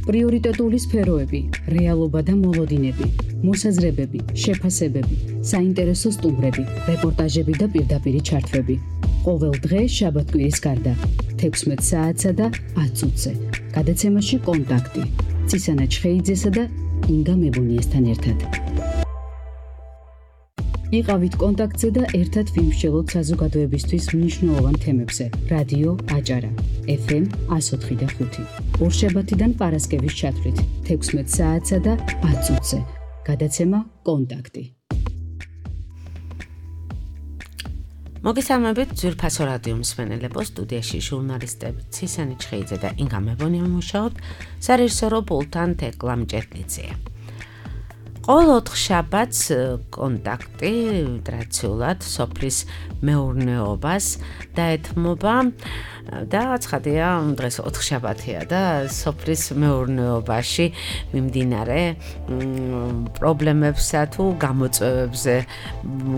პრიორიტეტული სფეროები, რეალობა და მოლოდინები, მოსაზრებები, შეფასებები, საინტერესო სტუმრები, რეპორტაჟები და პირდაპირი ჩართვები. ყოველ დღე შაბათ-კვირის გარდა 16 საათსა და 10 წუთზე. გადაცემაში კონტაქტი. ცისანა ჩხეიძესა და ინგა მებონიესთან ერთად. იყავით კონტაქტზე და ერთად ვიმსჯელოთ საზოგადოებისთვის მნიშვნელოვან თემებზე. რადიო აჭარა, FM 104.5. ორშაბათიდან პარასკევის ჩათვლით 16 საათსა და 10 წუთზე. გადაცემა კონტაქტი. მოგესალმებით ძვირფასო რადიო მსმენელებო, სტუდიაში ჟურნალისტები ცისანი ჩხეიძე და ინგა მებონია მუშაობთ, სარეჟისორო პულტთან თეკლა მჭედლიძეა. ყოველ 4 შაბათს კონტაქტი ტრადიციულად სოფლის მეურნეობას დაეთმობა და ცხადია, დღეს 4 შაბათია და სოფლის მეურნეობაში მიმდინარე პრობლემებსა თუ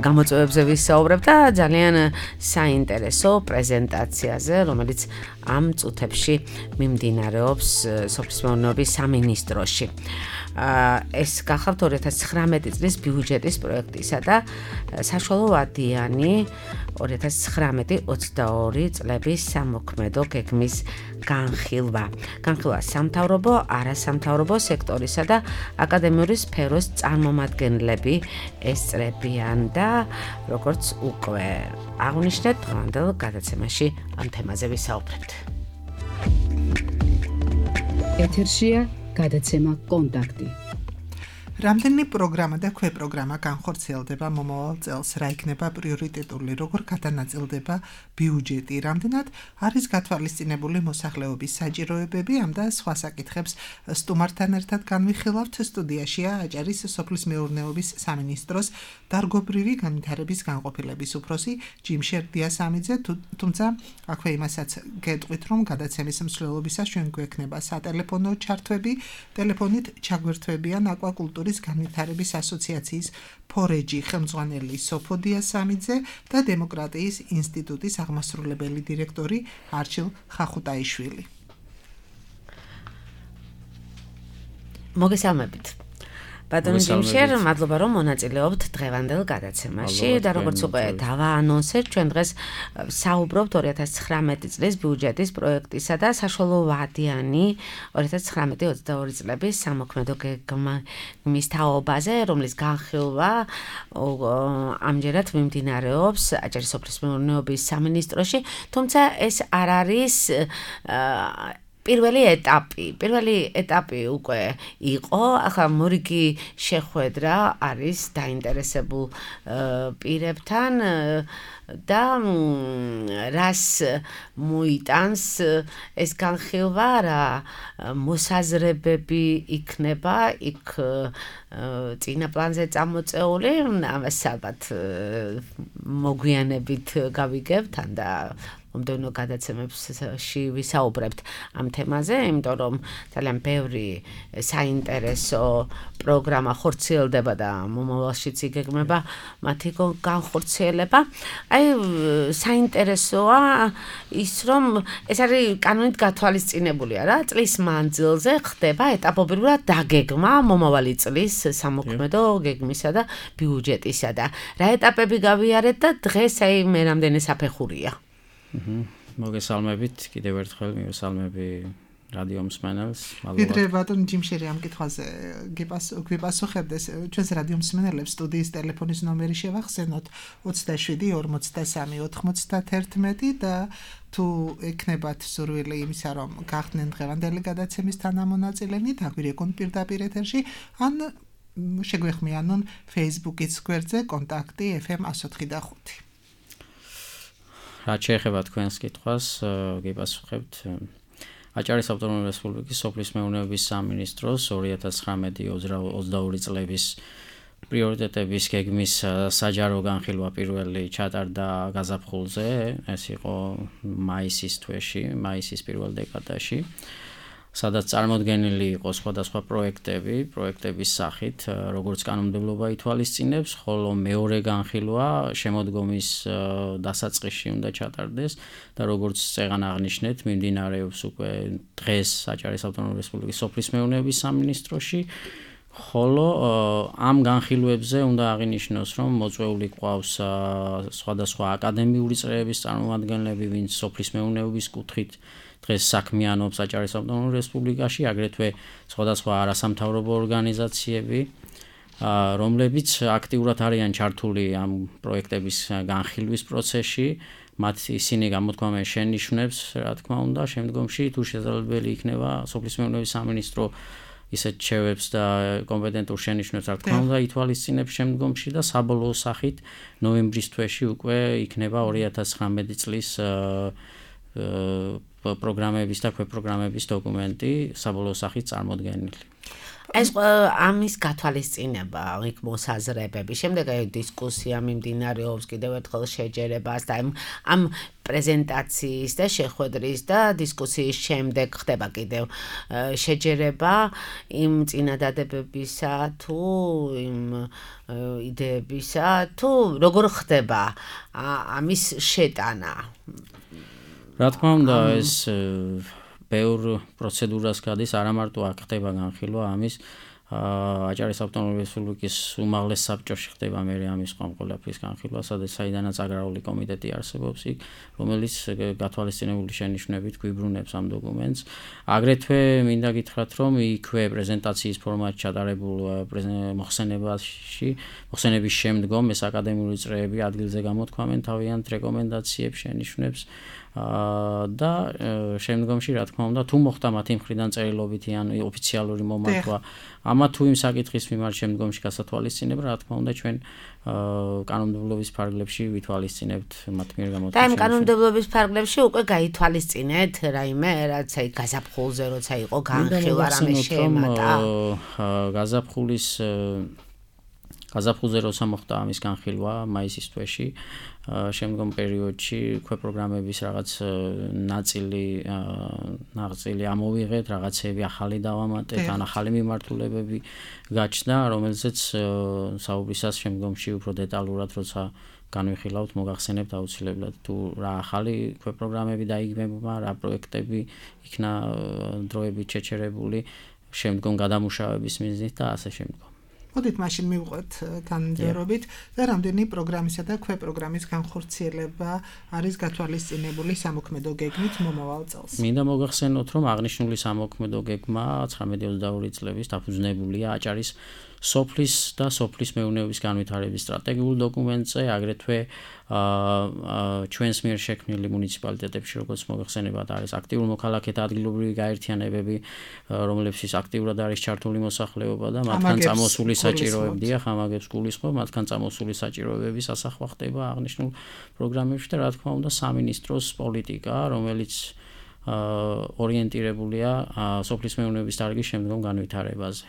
გამოწვევებზე ვისაუბრებ და ძალიან საინტერესო პრეზენტაციაზე, რომელიც ამ წუთებში მიმდინარეობს სოფლის მეურნეობის სამინისტროში. ეს გახავთ 2019 წლის ბიუჯეტის პროექტისა და საშუალო ვადიანი 2019-22 წლების სამოქმედო გეგმის განხილვა. განხილვა სამთავრობო, არასამთავრობო სექტორისა და აკადემიური სფეროს წარმომადგენლები ესწრებიან და როგორც უკვე აღნიშნეთ, დღევანდელ გადაცემაში ამ თემაზე ვისაუბრებთ. ეთერშია გადაცემა კონტაქტი. რამდენი პროგრამა და ქვეპროგრამა განხორციელდება მომავალ წელს, რა იქნება პრიორიტეტული, როგორ გადანაწილდება ბიუჯეტი, რამდენად არის გათვალისწინებული მოსახლეობის საჭიროებები, ამ და სხვა საკითხებს სტუმართან ერთად განვიხილავთ. სტუდიაშია აჭარის სოფლის მეურნეობის სამინისტროს დარგობრივი განვითარების განყოფილების უფროსი ჯიმშერ დიასამიძე, თუმცა აქვე იმასაც გეტყვით, რომ გადაცემის მსვლელობისას ჩვენ გვექნება სატელეფონო ჩართვები, ტელეფონით ჩაგვერთვებიან აკვაკულტურის განვითარების ასოციაციის ფორეჯი ხელმძღვანელი სოფო დიასამიძე და დემოკრატიის ინსტიტუტის აღმასრულებელი დირექტორი არჩილ ხახუტაიშვილი. მოგესალმებით. ბატონო ჯიმშერ, მადლობა რომ მონაწილეობთ დღევანდელ გადაცემაში და როგორც უკვე დავაანონსეთ, ჩვენ დღეს საუბრობთ 2019 წლის ბიუჯეტის პროექტისა და საშუალო ვადიანი 2019-22 წლების სამოქმედო გეგმის თაობაზე, რომლის განხილვა ამჯერად მიმდინარეობს აჭარის სოფლის მეურნეობის სამინისტროში, თუმცა ეს არ არის პირველი ეტაპი უკვე იყო, ახლა მორიგი შეხვედრა არის დაინტერესებულ პირებთან და რას მოიტანს ეს განხილვა, რა მოსაზრებები იქნება იქ წინა პლანზე წამოწეული, ამას ალბათ მოგვიანებით გავიგებთ და მომდევნო გადაცემებში ვისაუბრებთ ამ თემაზე, იმიტომ რომ ძალიან ბევრი საინტერესო პროგრამა ხორციელდება და მომავალშიც იგეგმება მათი განხორციელება. საინტერესოა ის, რომ ეს არის კანონით გათვალისწინებულია რა, წლის მანძილზე ხდება ეტაპობრივად დაგეგმა მომავალი წლის სამოქმედო გეგმისა და ბიუჯეტისა და რა ეტაპები გავიარეთ და დღეს მე რამდენი საფეხურია. მოგესალმებით, კიდევ ერთხელ მივესალმები რადიო მსმენელს. ვიდრე ბატონ ჯიმშერი ამ კითხვაზე გვიპასუხებდეს, ჩვენს რადიო მსმენელებს სტუდიის ტელეფონის ნომერი შევახსენოთ 27 43 91 და თუ ეკნებათ სურვილი იმისა, რომ გახდნენ დღევანდელი გადაცემის თანამონაწილენი, დაგვირეკონ პირდაპირ ეთერში, ან შეგვეხმიანონ Facebook-ის გვერდზე კონტაქტი FM 104.5. რაც შეეხება თქვენს კითხვას, გიპასუხებთ აჭარის ავტონომიური რესპუბლიკის სოფლის მეურნეობის სამინისტროს 2019-22 წლების პრიორიტეტების გეგმის საჯარო განხილვა პირველი ჩატარდა გაზაფხულზე, ეს იყო მაისის თვეში, მაისის პირველ დეკადაში. სადაც წარმოდგენილი იყო სხვადასხვა პროექტების სახით, როგორც კანონმდებლობა ითვალისწინებს, ხოლო მეორე განხილვა შემოდგომის დასაწყისში უნდა ჩატარდეს და როგორც წეგან აღნიშნეთ, მიმდინარეობს უკვე დღეს საჯარის ავტონომიური რესპუბლიკის სოფლის მეურნეობის სამინისტროში, ხოლო ამ განხილვებზე უნდა აღინიშნოს, რომ მოწვეული ყავს სხვადასხვა აკადემიური წრეების წარმომადგენლები, ვინც სოფლის მეურნეობის კუთხით დღეს საქმიანობს საჯარის ავტონომურ რესპუბლიკაში, აგრეთვე სხვადასხვა არასამთავრობო ორგანიზაციები, რომლებიც აქტიურად არიან ჩართული ამ პროექტების განხილვის პროცესში, მათ ისინი გამოთქვამენ შენიშვნებს, რა თქმა უნდა, შემდგომში თუ შესაძლებელი იქნება სოფლის მეურნეობის სამინისტრო ისეთ შევებს და კომპეტენტურ შენიშვნებს, რა თქმა უნდა, ითვალისწინებს შემდგომში და საბოლოო სახით ნოემბრის თვეში უკვე იქნება 2019 წლის პროგრამების და ქვეპროგრამების დოკუმენტი საბოლოო სახით წარმოდგენილი. ეს ამის გათვალისწინება, იქ მოსაზრებები, შემდეგ დისკუსია მიმდინარეობს, კიდევ ერთხელ შეჯერებას და ამ პრეზენტაციის და შეხვედრის და დისკუსიის შემდეგ ხდება კიდევ შეჯერება იმ წინადადებებისა თუ იმ იდეებისა თუ როგორ ხდება ამის შეტანა. რა თქმა უნდა, ეს ბევრ პროცედურას გადის, არა მარტო აქ ხდება განხილვა ამის, აჭარის ავტონომიური რესპუბლიკის უმაღლეს საბჭოში ხდება მე ამის ყველაფრის განხილვა, საიდანაც აგრარული კომიტეტი არსებობს იქ, რომელიც გათვალისწინებული შენიშვნებით გვიბრუნებს ამ დოკუმენტს. აგრეთვე მინდა გითხრათ, რომ იქვე პრეზენტაციის ფორმატში ჩატარებულ მოხსენების შემდგომ ეს აკადემიური წრეები ადგილზე გამოთქვამენ თავიანთ რეკომენდაციებს, შენიშვნებს და შემდგომში რა თქმა უნდა თუ მოხდა მათი მხრიდან წერილობითი ან ოფიციალური მომართვა ამა თუ იმ საკითხის მიმართ შემდგომში გასათვალისწინება რა თქმა უნდა ჩვენ კანონმდებლობის ფარგლებში ვითვალისწინებთ მათ მიერ გამოთქმის. და იმ კანონმდებლობის ფარგლებში უკვე გაითვალისწინეთ რაიმე რაც აი გაზაფხულზე როცა იყო განხილვა რამე შემატა. გაზაფხულზე როცა მოხდა ამის განხილვა მაისის თვეში შემდგომ პერიოდში ქვეპროგრამების რაღაც ნაწილი ამოვიღეთ, რაღაცები ახალი დავამატეთ, ან ახალი მიმართულებები გაჩნდა, რომელზეც საუბრისას შემდგომში უფრო დეტალურად როცა განვიხილავთ, მოგახსენებთ აუცილებლად თუ რა ახალი ქვეპროგრამები დაიგმება, რა პროექტები იქნა დროებით შეჩერებული, შემდგომ გადამუშავების მიზნით და ასე შემდგომ. მოდით მაშინ მივყვეთ თანმიმდევრობით და რამდენი პროგრამისა და ქვეპროგრამის განხორციელება არის გათვალისწინებული სამოქმედო გეგმით მომავალ წელს. მინდა მოგახსენოთ, რომ აღნიშნული სამოქმედო გეგმა 1922 წლების დაფუძნებულია აჭარის სოფლის და სოფლის მეურნეობის განვითარების სტრატეგიულ დოკუმენტზე, აგრეთვე ჩვენს მიერ შექმნილი მუნიციპალიტეტებში, როგორც მოგახსენებათ, არის აქტიურ მოქალაქეთა ადგილობრივი გაერთიანებები, რომლებშიც აქტიურად არის ჩართული მოსახლეობა და მათგან წამოსული საჭიროებები, ამაგებს გულისხმობ, მათგან წამოსული საჭიროებების ასახვა ხდება აღნიშნულ პროგრამებში და რა თქმა უნდა სამინისტროს პოლიტიკა, რომელიც ორიენტირებულია სოფლის მეურნეობის დარგის შემდგომ განვითარებაზე.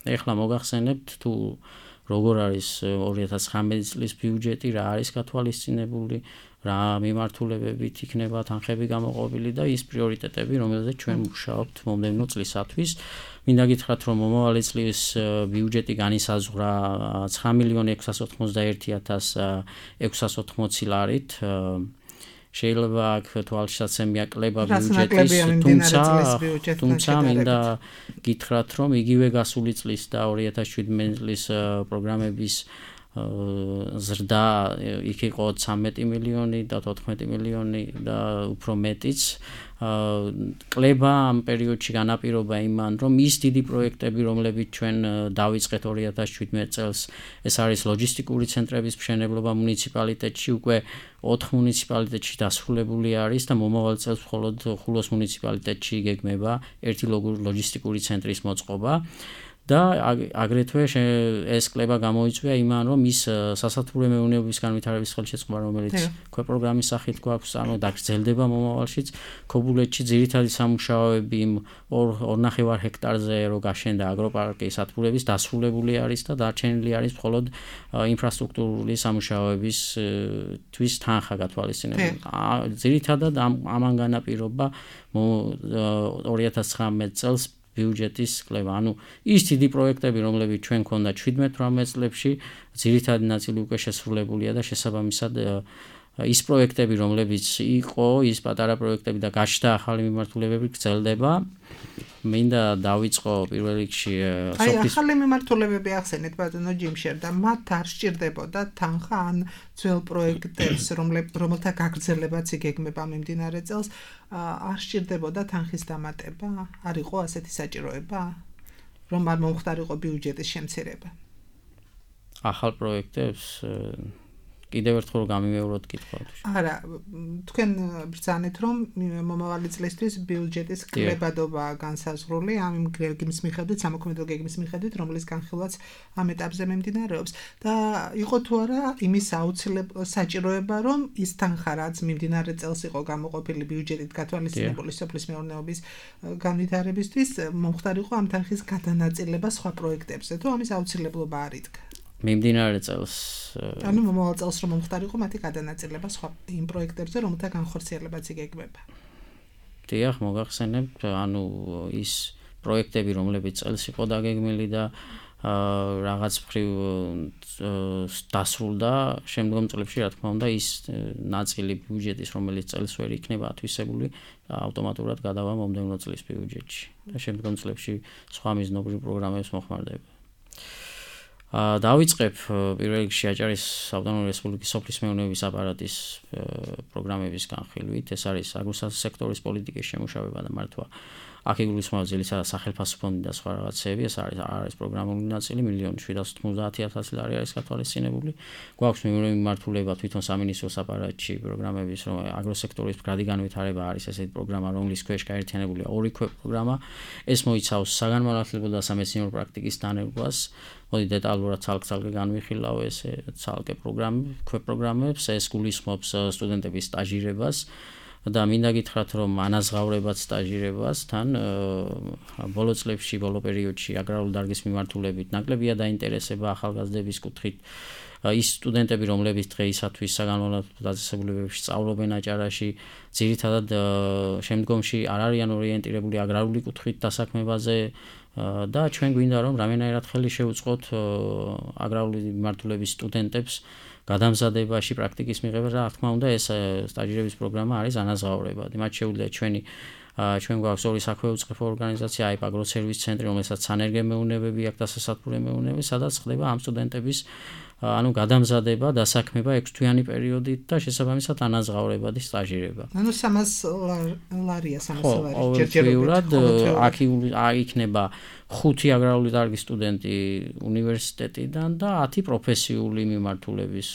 ეხლა მოგახსენებთ თუ როგორ არის 2019 წლის ბიუჯეტი, რა არის გათვალისწინებული, რა მიმართულებებით იქნება თანხები გამოყოფილი და ის პრიორიტეტები, რომელზეც ჩვენ მუშაობთ მომდევნო წლისათვის. მინდა გითხრათ, რომ მომავალი წლის ბიუჯეტი განისაზღვრა 9,691,680 ლარით. შეიძლება აქ თვალსაჩინია კლება ბიუჯეტის, თუმცა მინდა გითხრათ, რომ იგივე გასული წლის და 2017 წლის პროგრამების ზრდა იქ იყო 13 მილიონი და 14 მილიონი და უფრო მეტიც. კლება ამ პერიოდში განაპირობა იმან, რომ ის დიდი პროექტები, რომლებიც ჩვენ დავიწყეთ 2017 წელს, ეს არის ლოჯისტიკური ცენტრების მშენებლობა მუნიციპალიტეტში, უკვე 4 მუნიციპალიტეტში დასრულებული არის და მომავალ წელს მხოლოდ ხულოს მუნიციპალიტეტში იგეგმება ერთი ლოჯისტიკური ცენტრის მოწყობა. და აგრეთვე ეს კლება გამოიწვია იმან, რომ ის სასათბურე მეურნეობის განვითარების ხელშეწყობა, რომელიც ქვეპროგრამის სახით გვაქვს, დაგრძელდება მომავალშიც. ქობულეთში ძირითადი სამუშაოები 2.5 ჰექტარზე რო გაშენდა აგროპარკი სათბურების დასრულებული არის და დარჩენილი არის მხოლოდ ინფრასტრუქტურული სამუშაოების თვის თანხა გათვალისწინებული. ძირითადად ამან განაპირობა 2019 წელს ბიუჯეტის კლება. ანუ ის დიდი პროექტები, რომლებიც ჩვენ გქონდა 17-18 წლებში, ძირითადი ნაწილი უკვე შესრულებულია და შესაბამისად ის პროექტები, რომლებიც იყო, ის პატარა პროექტები და გაჩნდა ახალი მიმართულებები გრძელდება. მინდა დავიწყო პირველ რიგში ახალი მიმართულებები ახსენეთ ბატონო ჯიმშერ და მათ არ სჭირდებოდა თანხა ან ძველ პროექტებს, რომელთა გაგრძელებაც იგეგმება მიმდინარე წელს, არ სჭირდებოდა თანხის დამატება? არ იყო ასეთი საჭიროება, რომ არ მომხდარიყო ბიუჯეტის შემცირება? ახალ პროექტებს კიდევ ერთხელ გამიმეოროთ კითხვა. არა, თქვენ ბრძანეთ, რომ მომავალი წლისთვის ბიუჯეტის კლებადობა განსაზღვრული ამ გეგმის მიხედვით, სამოქმედო გეგმის მიხედვით, რომლის განხილვაც ამ ეტაპზე მიმდინარეობს და იყო თუ არა იმის აუცილებლად საჭიროება, რომ ის თანხა, რაც მიმდინარე წელს იყო გამოყოფილი ბიუჯეტით გათვალისწინებული სოფლის მეურნეობის განვითარებისთვის, მომხდარიყო ამ თანხის გადანაწილება სხვა პროექტებზე, თუ ამის აუცილებლობა არ იდგა? მიმდინარე წელს ანუ მომავალ წელს რომ მომხდარიყო მათი გადანაწილება სხვა იმ პროექტებზე, რომელთა განხორციელებაც იგეგმება. დიახ, მოგახსენებთ, ანუ ის პროექტები, რომლებიც წელს იყო დაგეგმილი და რაღაც მხრივ დასრულდა, შემდგომ წლებში, რა თქმა უნდა, ის ნაწილი ბიუჯეტის, რომელიც წელს ვერ იქნება ათვისებული, ავტომატურად გადავა მომდევნო წლის ბიუჯეტში და შემდგომ წლებში სხვა მიზნობრივ პროგრამებს მოხმარდება. დავიწყებ პირველ რიგში აჭარის ავტონომიური რესპუბლიკის სოფლის მეურნეობის აპარატის პროგრამების განხილვით. ეს არის აგროსექტორის პოლიტიკის შემუშავება და მართვა. აქ იგულისხმება ძირითადად სახელმწიფო ფონდი და სხვა რაღაცეები. ეს არის პროგრამული ნაწილი, 1,790,000 ლარი არის გათვალისწინებული. გვაქვს მიმართულება თვითონ სამინისტროს აპარატში პროგრამების, რომ აგროსექტორის მდგრადი განვითარება არის ესეთი პროგრამა, რომლის ქვეშ გაერთიანებულია 2 ქვეპროგრამა. ეს მოიცავს საგანმანათლებლო და სამეცნიერო პრაქტიკის დანერგვას. მოდი დეტალურად ცალკე განვიხილავ ეს ცალკე ქვეპროგრამებს. ეს გულისხმობს სტუდენტების სტაჟირებას და მინდა გითხრათ, რომ ანაზღაურებად სტაჟირებას თან ბოლო წლებში, ბოლო პერიოდში აგრარული დარგის მიმართულებით ნაკლებია დაინტერესება ახალგაზრდების კუთხით. ის სტუდენტები, რომლებიც დღეისათვის საგანმანათლებლო დაწესებულებებში სწავლობენ აჭარაში, ძირითადად შემდგომში არ არიან ორიენტირებული აგრარული კუთხით დასაქმებაზე და ჩვენ გვინდა რომ რამენაირად ხელი შევუწყოთ აგრარული მიმართულების სტუდენტებს გადამზადებაში, პრაქტიკის მიღებაში. რა თქმა უნდა, ეს სტაჟირების პროგრამა არის ანაზღაურებადი. მათ შეუძლია ჩვენ გვაქვს ორი საქვეუწყებო ორგანიზაცია, AIP აგროსერვის ცენტრი, რომელსაც სანერგე მეურნეობები აქვს და სასათბურე მეურნეობები, სადაც ხდება ამ სტუდენტების გადამზადება, დასაქმება 6 თვიანი პერიოდით და შესაბამისად ანაზღაურებადი სტაჟირება. ანუ 300 ლარია, 300 ლარი ჯერჯერობით. აქ იქნება 5 აგრარული დარგის სტუდენტი უნივერსიტეტიდან და 10 პროფესიული მიმართულების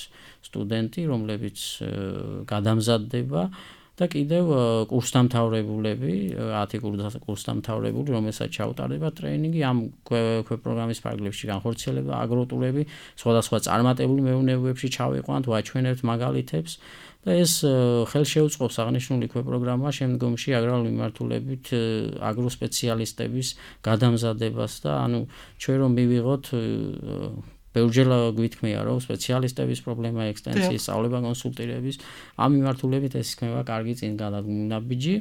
სტუდენტი, რომლებიც გადამზადდება და კიდევ კურსდამთავრებულები, 10 კურსდამთავრებული, რომელსაც ჩაუტარდება ტრეინინგი ამ ქვეპროგრამის ფარგლებში განხორციელება, აგროტურები, სხვადასხვა წარმატებული მეურნეობებში ჩავიყვანთ, ვაჩვენებთ მაგალითებს და ეს ხელშეუწყობს აღნიშნული ქვეპროგრამა შემდგომში აგრარული მიმართულებით აგროსპეციალისტების გადამზადებას და ანუ ჩვენ რომ მივიღოთ ბევრჯერ გვითქმია, რომ სპეციალისტების პრობლემა, ექსტენსიის, სწავლება, კონსულტირების ამ მიმართულებით ეს იქნება კარგი წინგანაბიჯი.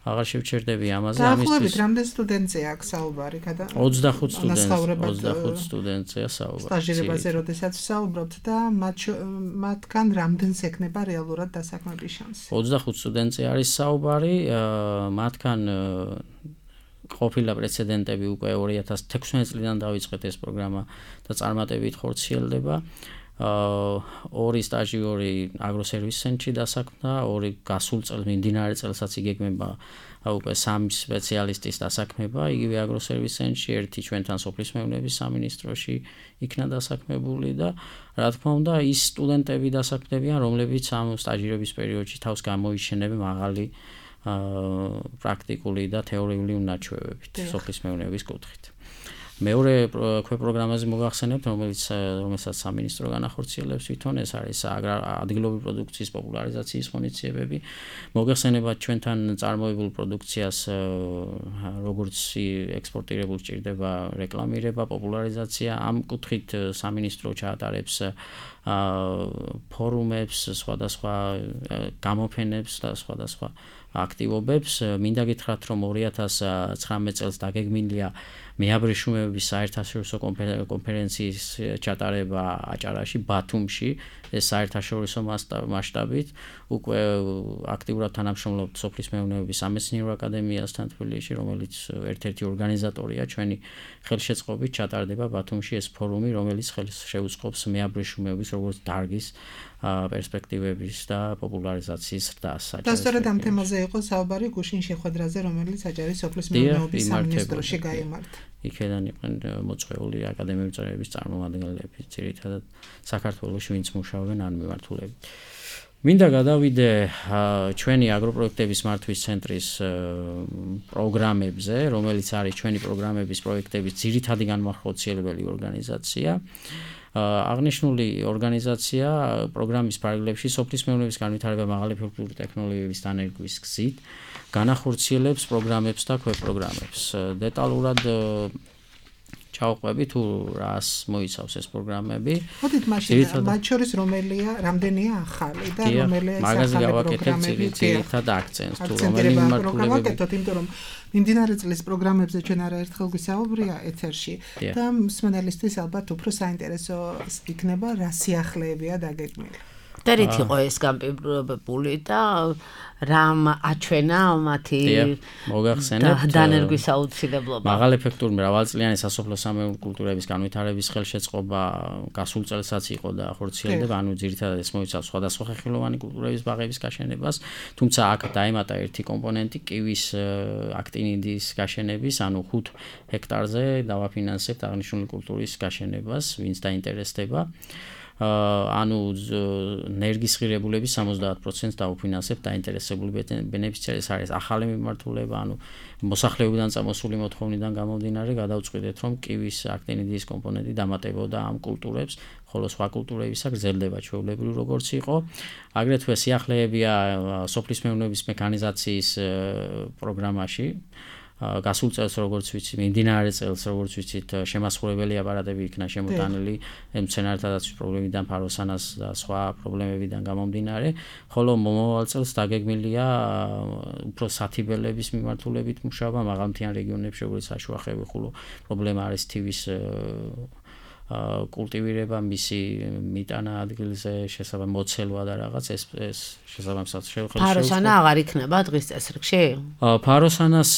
აღარ შევჩერდები ამაზე. ამისთვის რამდენი სტუდენტია აქ საუბარი? 25 სტუდენტია საუბარი. სტაჟირებაზე როდესაც ვსაუბრობთ და მათგან რამდენს ექნება რეალურად დასაქმების შანსი? 25 სტუდენტზე არის საუბარი, მათგან ყოფილა პრეცედენტები უკვე 2016 წლიდან დაიწყეთ ეს პროგრამა და წარმატებით ხორციელდება. 2 სტაჟიორი აგროსერვის ცენტრში დასაქმდა, 2 გასულ წელს მიმდინარე წელსაც იგეგმება უკვე 3 სპეციალისტის დასაქმება, იგივე აგროსერვის ცენტრში, 1 ჩვენთან სოფლის მეურნეობის სამინისტროში იქნა დასაქმებული და რა თქმა უნდა ის სტუდენტები დასაქმდებიან, რომლებიც ამ სტაჟირების პერიოდში თავს გამოიჩენებენ მაღალი პრაქტიკული და თეორიული უნარჩვევებით სოფლის მეურნეობის კუთხით. მეორე ქვეპროგრამაზე მოგახსენებთ, რომელსაც სამინისტრო განახორციელებს თვითონ, ეს არის ადგილობრივი პროდუქციის პოპულარიზაციის ღონისძიებები. მოგახსენებათ ჩვენთან წარმოებულ პროდუქციას როგორც ექსპორტირებულ ჭირდება რეკლამირება, პოპულარიზაცია. ამ კუთხით სამინისტრო ჩაატარებს ფორუმებს, სხვადასხვა გამოფენებს და სხვადასხვა აქტივობებს. მინდა გითხრათ, რომ 2019 წელს დაგეგმილია მეაბრეშუმეობის საერთაშორისო კონფერენციის ჩატარება აჭარაში, ბათუმში, ეს საერთაშორისო მასშტაბით. უკვე აქტიურად თანამშრომლობთ სოფლის მეურნეობის სამეცნიერო აკადემიასთან თბილისში, რომელიც ერთ-ერთი ორგანიზატორია ჩვენი ხელშეწყობით ჩატარდება ბათუმში ეს ფორუმი, რომელიც ხელს შეუწყობს მეაბრეშუმეობის როგორც დარგის პერსპექტივების და პოპულარიზაციის ზრდას. და სწორედ ამ თემაზე იყო საუბარი გუშინ შეხვედრაზე, რომელიც აჭარის სოფლის მეურნეობის სამინისტროში გაიმართა. იქედან იყვნენ მოწვეული აკადემიური წევრების წარმომადგენლები, ძირითადად საქართველოში ვინც მუშაობენ ან მიმართულებით. მინდა გადავიდე ჩვენი აგროპროექტების მართვის ცენტრის პროგრამებზე, რომელიც არის ჩვენი პროგრამების პროექტების ძირითადი განმახორციელებელი ორგანიზაცია. აღნიშნული ორგანიზაცია პროგრამის პარალელში სოფლის მეურნეობის განვითარება მაღალი ეფექტური ტექნოლოგიების დანერგვის გზით განახორციელებს პროგრამებს და ქვეპროგრამებს. დეტალურად ჩავყვები თუ რას მოიცავს ეს პროგრამები. ხოდით მაშინ მათ შორის რამდენია ახალი და რომელია ეს მაგაზე გავაკეთებ ძირითად აქცენტს თუ რომელი მიმართულებები. იმიტომ რომ მიმდინარე წლის პროგრამებზე ჩვენ არაერთხელ გვისაუბრია ეთერში და მსმენელისთვის ალბათ უფრო საინტერესო იქნება რა სიახლეებია დაგეგმილი. და რით იყო ეს განპირობებული და რამ აჩვენა მათი დანერგვის აუცილებლობა. მაღალ ეფექტური მრავალწლიანი სასოფლო სამეურნეო კულტურების განვითარების ხელშეწყობა გასულ წელსაც იყო და ხორციელდება, ანუ ძირითადად ეს მოიცავს სხვადასხვა ხეხილოვანი კულტურების ბაღების გაშენებას, თუმცა აქ დაემატა ერთი კომპონენტი კივის აქტინიდის გაშენების, ანუ 5 ჰექტარზე დავაფინანსებთ აღნიშნული კულტურის გაშენებას, ვინც დაინტერესდება. ანუ ნერგის ღირებულების 70% დაუფინანსებთ დაინტერესებული ბენეფიციარის არის ახალი მიმართულება, ანუ მოსახლეობიდან წამოსული მოთხოვნიდან გამომდინარე გადავწყვიტეთ, რომ კივის აქტინიდის კომპონენტი დამატებოდა ამ კულტურებს, ხოლო სხვა კულტურებისა გრძელდება ჩვეულებრივ როგორც იყო. აგრეთვე სიახლეებია სოფლის მეურნეობის მექანიზაციის პროგრამაში. გასულ წელს როგორც ვიცი, მიმდინარე წელს როგორც ვიცით, შემასხურებელი აპარატები იქნა შემოტანილი მცენარეთა დაცვის პრობლემიდან, ფაროსანას და სხვა პრობლემებიდან გამომდინარე, ხოლო მომავალ წელს დაგეგმილია უფრო სათიბელების მიმართულებით მუშაობა მაღალმთიან რეგიონებში, როგორც საშუახევი ხულო პრობლემა არის თივის კულტივირება, მისი მიტანა ადგილზე, შესაბამისად მოცელვა და რაღაც ეს შესაბამისად შეეხება. ფაროსანა აღარ იქნება დღის წესრიგში? ფაროსანას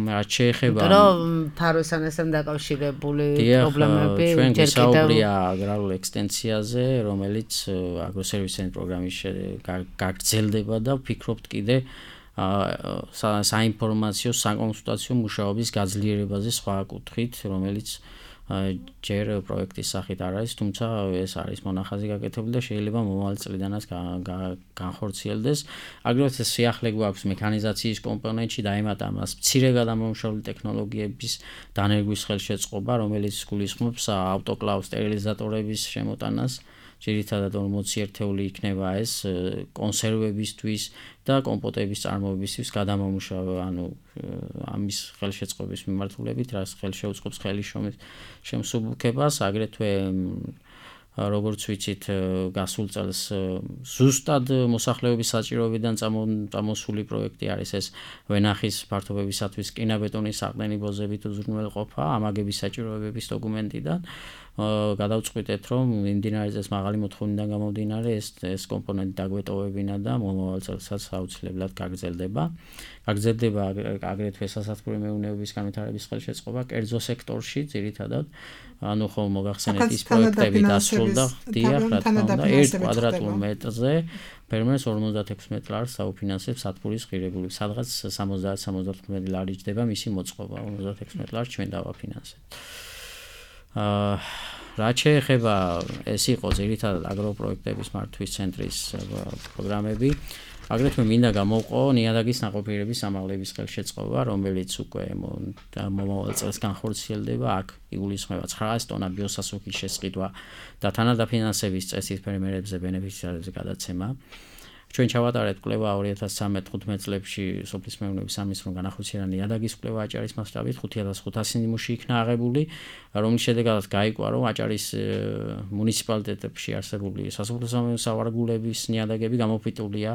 რაც შეეხება, რომ ფაროსანასთან დაკავშირებული პრობლემები ჩვენ გვისაუბრია აგრარულ ექსტენსიაზე, რომელიც აგროსერვისის ცენტრის პროგრამის გაგრძელდება და ვფიქრობთ კიდე საინფორმაციო საკონსულტაციო მუშაობის გაძლიერებაზე სხვა კუთხით, რომელიც ჯერ პროექტის სახით არ არის, თუმცა ეს არის მონახაზი გაკეთებული და შეიძლება მომავალ წლიდანაც განხორციელდეს. აგრეთვე სიახლე გვაქვს მექანიზაციის კომპონენტში დაემატა მას მცირე გადამამუშავებელი ტექნოლოგიების დანერგვის ხელშეწყობა, რომელიც გულისხმობს ავტოკლავ სტერილიზატორების შემოტანას. ძირითადად 40 ერთეული იქნება ეს კონსერვებისთვის და კომპოტების წარმოებისთვის გადამამუშავება, ანუ ამის ხელშეწყობის მიმართულებით, რაც ხელშეუწყობს ხელისშემის შემსუბუქებას, აგრეთვე როგორც ვიცით, გასულ წელს ზუსტად მოსახლეობის საჭიროებიდან წამოსული პროექტი არის ეს ვენახის ფართობებისათვის კინაბეტონის საყრდენიბოზებით უზრუნველყოფა ამაგების საჭიროებების დოკუმენტიდან. გადავწყვიტეთ, რომ მიმდინარე წელს მაღალი მოთხოვნიდან გამომდინარე ეს კომპონენტი დაგვეტოვებინა და მომავალ წელსაც აუცილებლად გაგრძელდება. გაგრძელდება აგრეთვე სასათბური მეურნეობის განვითარების ხელშეწყობა კერძო სექტორში, ძირითადად, ანუ ხომ მოგახსენეთ ის პროექტები დასრულდა, დიახ, რა თქმა უნდა, 1 კვადრატულ მეტრზე ფერმერს 56 მეტრს დაუფინანსებს სათბურის ღირებულები, სადღაც 70-75 ლარი ჯდება მისი მოწყობა, 56 მეტრს ჩვენ დავაფინანსებთ. რაც შეეხება ეს იყო ძირითადად აგროპროექტების მართვის ცენტრის პროგრამები. აგრეთვე მინდა გამოვყო ნიადაგის ნაყოფიერების ამაღლების ხელშეწყობა, რომელიც უკვე მომავალ წელს განხორციელდება. აქ იგულისხმება 900 ტონა ბიოსასუქის შესყიდვა და თანადაფინანსების წესით ფერმერებზე ბენეფიციარებზე გადაცემა. ჩვენ ჩავატარეთ კვლევა 2013-15 წლებში სოფლის მეურნეობის სამინისტრომ განახორციელა ნიადაგის კვლევა აჭარის მასშტაბით 5500 ნიმუში იქნა აღებული, რომლის შედეგადაც გაიგო, რომ აჭარის მუნიციპალიტეტებში არსებული სასოფლო-სამეურნეო სავარგულების ნიადაგები გამოფიტულია,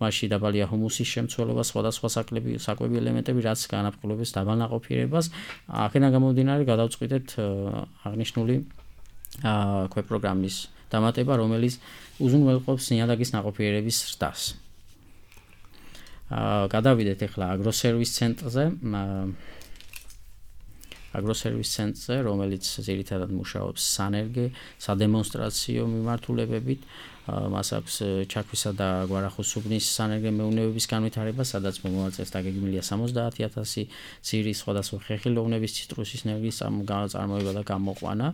მასში დაბალია ჰუმუსის შემცველობა, სხვადასხვა საკვები ელემენტები, რაც განაპირობებს დაბალ ნაყოფიერებას. აქედან გამომდინარე გადავწყვიტეთ აღნიშნული ქვეპროგრამის დამატება, რომელიც უზრუნველყოფს ნიადაგის ნაყოფიერების ზრდას. გადავიდეთ ახლა აგროსერვის ცენტრზე, რომელიც ძირითადად მუშაობს სანერგე, სადემონსტრაციო მიმართულებებით. მას აქვს ჩაქვისა და გვარახოსუბნის სანერგე მეურნეობის განვითარება, სადაც მომავალ წელს დაგეგმილია 70000 ძირის სხვადასხვა ხეხილოვნების ციტრუსის ენერგიის წარმოება და გამოყვანა.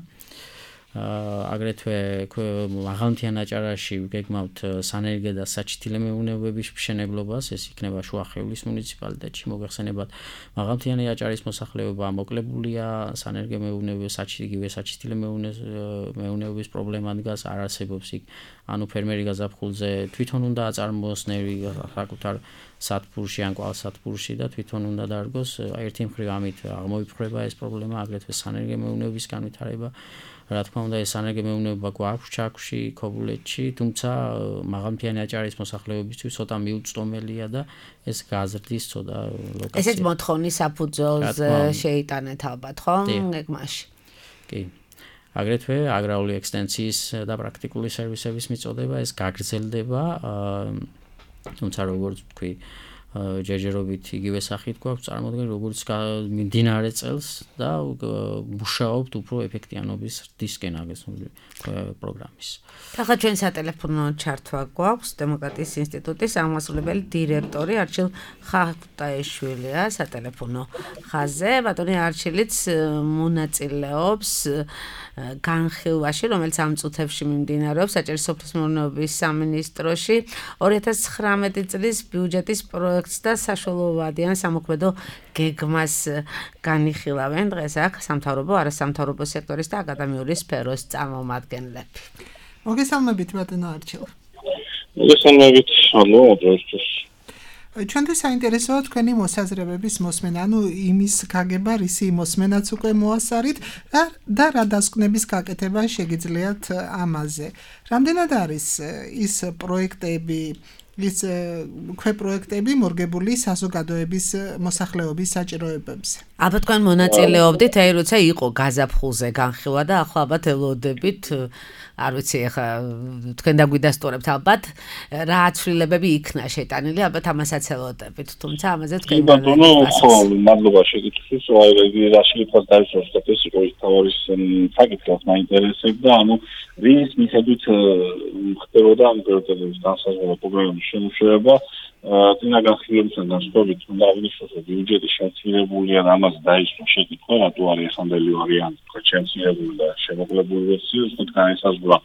აგრეთვე მაღალმთიან აჭარაში გეგმავთ სანერგე და საჩითილე მეურნეობების მშენებლობას, ეს იქნება შუახევლის მუნიციპალიტეტში. მოგეხსენებათ, მაღალმთიანი აჭარის მოსახლეობა მოკლებულია სანერგე მეურნეობის, საჩითილე მეურნეობის პრობლემა დგას, არ არსებობს იქ, ანუ ფერმერი გაზაფხულზე თვითონ უნდა აწარმოოს ნერი საკუთარ სათბურში ან კვალსათბურში და თვითონ უნდა დარგოს. ერთი მხრივ ამით აღმოიფრება ეს პრობლემა, აგრეთვე სანერგე მეურნეობის განვითარება. რა თქმა უნდა, ეს სანერგე მეურნეობა გვაქვს ჩაქვში, ქობულეთში, თუმცა მაღალმთიანი აჭარის მოსახლეობისთვის ცოტა მიუწვდომელია და ეს გაზრდის ცოტა ლოკაცია. ესეც მოთხოვნის საფუძველს შეიტანეთ ალბათ, ხო? გეგმაში. კი. აგრეთვე აგრარული ექსტენსიის და პრაქტიკული სერვისების მიწოდება, ეს გაგრძელდება, თუმცა როგორც ვთქვი, ჯერჯერობით იგივე სახით გვაქვს წარმოდგენა, როგორც მიმდინარე წელს და მუშაობთ უფრო ეფექტიანობის ზრდისკენ აგესული პროგრამის. ახლა ჩვენ სატელეფონო ჩართვა გვაქვს დემოკრატიის ინსტიტუტის აღმასრულებელი დირექტორი არჩილ ხახტაიშვილია სატელეფონო ხაზზე. ბატონი არჩილიც მონაწილეობს განხილვაში, რომელიც ამ წუთებში მიმდინარეობს აჭარის სოფლის მეურნეობის სამინისტროში 2019 წლის ბიუჯეტის პროექტს და საშუალებოვადიან სამოქმედო გეგმას განიხილავენ დღეს აქ სამთავრობო, არასამთავრობო სექტორის და აკადემიური სფეროს წარმომადგენლები. მოგესალმებით ბატონო არჩილ. მოგესალმებით, ანუ დღესთვის ჩვენთვის საინტერესოა თქვენი მოსაზრებების მოსმენა, ანუ იმის გაგება, რისი მოსმენაც უკვე მოასარით და რა დასკვნების გაკეთება შეგიძლიათ ამაზე. რამდენად არის ის პროექტები, ის ქვეპროექტები მორგებული საზოგადოების მოსახლეობის საჭიროებებზე? ალბათ თქვენ მონაწილეობდით, როცა იყო გაზაფხულზე განხილვა და ახლა ალბათ ელოდებით, არ ვიცი, ახლა თქვენ დაგვიდასტურებთ ალბათ რა აცვლილებები იქნა შეტანილი, ალბათ ამასაც ელოდებით, თუმცა ამაზე თქვენ ბატონო, ხო, მადლობა შეკითხვის, რაშლიფას დაიშვათ ეს იყო ის თავი საკითხი მაინტერესებდა, ანუ რის მიხედვით ხდებოდა ამ პროექტების განსაზღვრება პროგრამის შემუშავება, წინა განხილვებისგან განსხვავებით, უნდა აღნიშნოს, რომ ბიუჯეტი შემცირებულია და ამას დაიწყო შეკითხვა, რატო არის ეხანდელი ვარიანტი, შემცირებული და შემოკლებული ვერსია, თქო განისაზღვრა.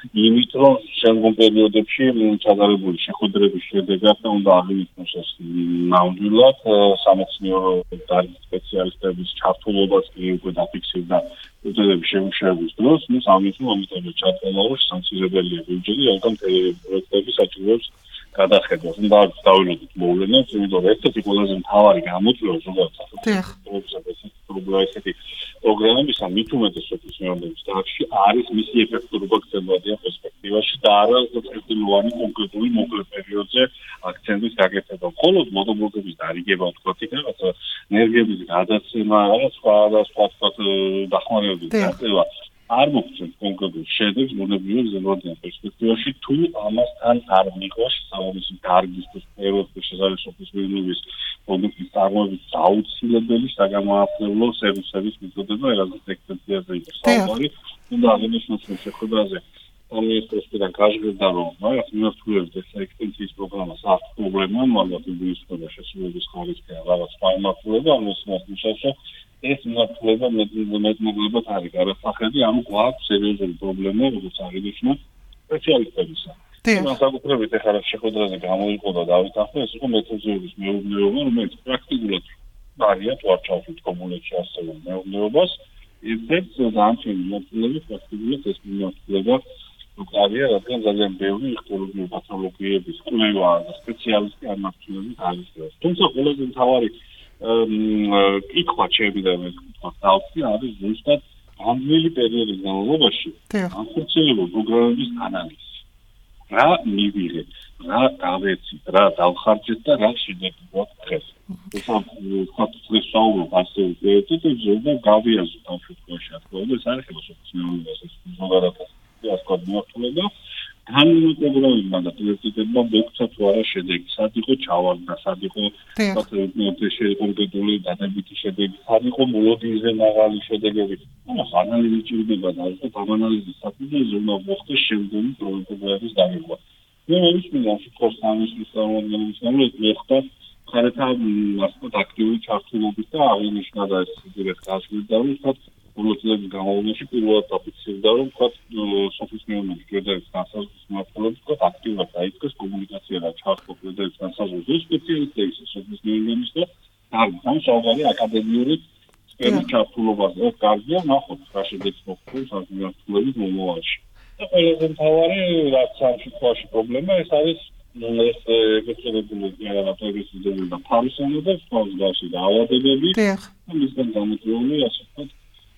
იმით, რომ შემდგომ პერიოდებში ჩატარებული შეხვედრების შედეგად უნდა აღინიშნოს ეს ნამდვილად სამეცნიერო დარგის სპეციალისტების ჩართულობაც კი უკვე დაფიქსირდა პროცესების შემუშავების დროს, ამიტომ ჩატარდა რომ სამცირებელია ბიუჯეტი, რადგან პროექტების საჭიროებს გადახედოს. უნდა დავინახოთ მოვლენებს, იმიტომ რომ ერთ-ერთი ყველაზე მთავარი გამოწვევა ზოგადად ესეთი პროგრამებისა მით უმეტეს სოფლის მეურნეობის დარგში არის მისი ეფექტურობა გრძელვადიან პერსპექტივაში და არა წელწლოვანი კონკრეტული მოკლე პერიოდზე აქცენტის გაკეთება. მხოლოდ მოდობლოკების დარიგება, ვთქვათ, იქ რაღაცა ენერგიების გადაცემა, რაღაც სხვა დახმარებების გაწევა არ მოგცემს კონკრეტულ შედეგს მონებრივი გრძელვადიან პერსპექტივაში, თუ ამასთან არ მიყვას სამომისი დარგის სფეროს შესაძლებელი სოფლის მეურნეობის პროდუქტის წარმოების აუცილებელი საგამოაღწევლო სერვისების მიწოდება, რაღაც ექსპერტიზაზე იყო საუბარი, უნდა აღინიშნოს შეხვედრაზე სამინისტროსთან გაჟღერდა, რომ რაღაც მიმართულებით ეს ექსტენსიის პროგრამას აქვს პრობლემა, მაგრამ ინგლისურენობა შესრულების ხარისხი რაღაც ფარმაცევტიკა, ამას მოსაშო ეს მიმართულება მეტმოკლედ არის გადასახედი, ანუ გვაქვს სერიოზული პრობლემა, როგორც აღინიშნა სპეციალისტებისა. განსაკუთრებით ეხლა შეხვედრაზე გამოიყო და დავით ახლა ეს იყო მეთოდოლოგიის მეუბნეობა, რომელიც პრაქტიკულად არიან ვარჩაუს კომუნიკაციაში ასევე მეუბნეობას. ერთ-ერთი დამჩენი მოტივები პრაქტიკულად ეს მიმართულება უკავია, რადგან ძალიან ბევრი იხტოლოგიური პათოლოგიების კვლევა და სპეციალისტი არ მართულებით არის. თუმცა ყველაზე მთავარი კითხვა შეიძლება მე ვთქვი, არის ზუსტად ამგვარი პერიოდის განმავლობაში განხორციელებულ პროგრამების ანალიზი. რა მივიღეთ, რა გავეცით, რა დავხარჯეთ და რა შედეგი გვაქვს დღეს. ეს ხათურის საუბრობ ასე ვეცით და გავიაზროთ ამ შემთხვევაში რა თქმა უნდა ეს არის ხელოსოფიის ეს ზოგადად ასკო მიმართულება განმეორებმა და პრიორიტეტებმა მოგცა თუ არა შედეგი, სად იყო ჩავარდა, სად იყო კონკრეტული დადებითი შედეგი, სად იყო მოლოდინზე მაღალი შედეგები. ანალიზი ჭირდება და ეს ამ ანალიზის საფუძველზე უნდა მოხდეს შემდგომი პროექტების დაგეგმა. მე მოვისმინე ამ სამის წარმოადგენის მეხთა ხარეთა ასე აქტიური ჩართულობით და აღინიშნა და ეს დირექტ გასვლიდა რომ თქვა პოლიტიკის განმავლობაში პირველად დაფიქსირდა რომ თქვა სოფლის მეურნეობის კრედიტების განსაზღვრის მმართველობა თქვა აქტიურად დაიწყეს კომუნიკაცია და ჩართვა კრედიტების განსაზღვრის სპეციალისტების სოფლის მეურნეობის და სამშობლოური აკადემიური სფეროს ჩართულობაზე კარგია ნახოთ რა შედეგს მოხდეს ამ მიმართულებით მომავალში. და ყველაზე მთავარი რაც ამ შემთხვევაში პრობლემა ეს არის ეს ეგრეთებული რაღაცები და ფარისონები სწავლაში და ავადებები მისგან გამოწვეული ასე ვთქვათ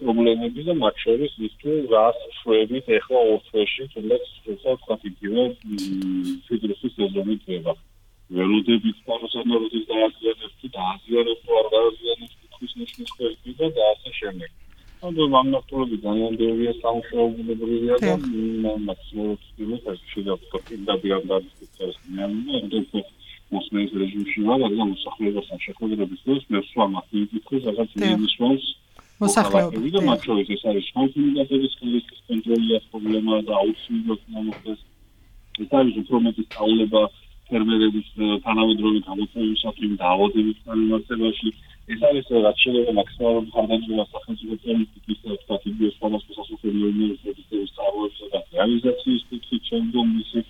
პრობლემები და მათ შორის ის თუ რას შვებით ეხლა ორ თვეში თუნდაც ვთქვათ იგივე ფიდროსის სეზონი treba ველოდებით პარასონორობის დააზიანებს და აზიანებს თუ არ დააზიანებს თქვის ნიშნის ხერხი და ასე შემდეგ. ანუ მამნახტულები ძალიან ბევრია სამშობლოებრივია და მაქსიმალურად ის შეიძლება და დიაგნოზის მეანდა მოსმენის რეჟიმში ვარ, მაგრამ მოსახლეობასთან შეხვედრების დროს მე სხვა მათემატიკას რაღაც ნიშნავს მოსახლეობები და მათ შორის ეს არის კონსოლიდაციის კონტროლის პრობლემა და აუცილებლად მოხდეს. ეს არის უფრო მეტი სწავლება ფერმერების თანამედროვე გამოწვევისათვის და ავადების განმარტებაში. ეს არის რაც შეიძლება მაქსიმალურად ხარდაჭერა სახელმწიფო პოლიტიკის და სტრატეგიის სხვადასხვა სასოფლო ინვესტიციების წარმოებისა და რეალიზაციის კუთხით შემდგომ მისი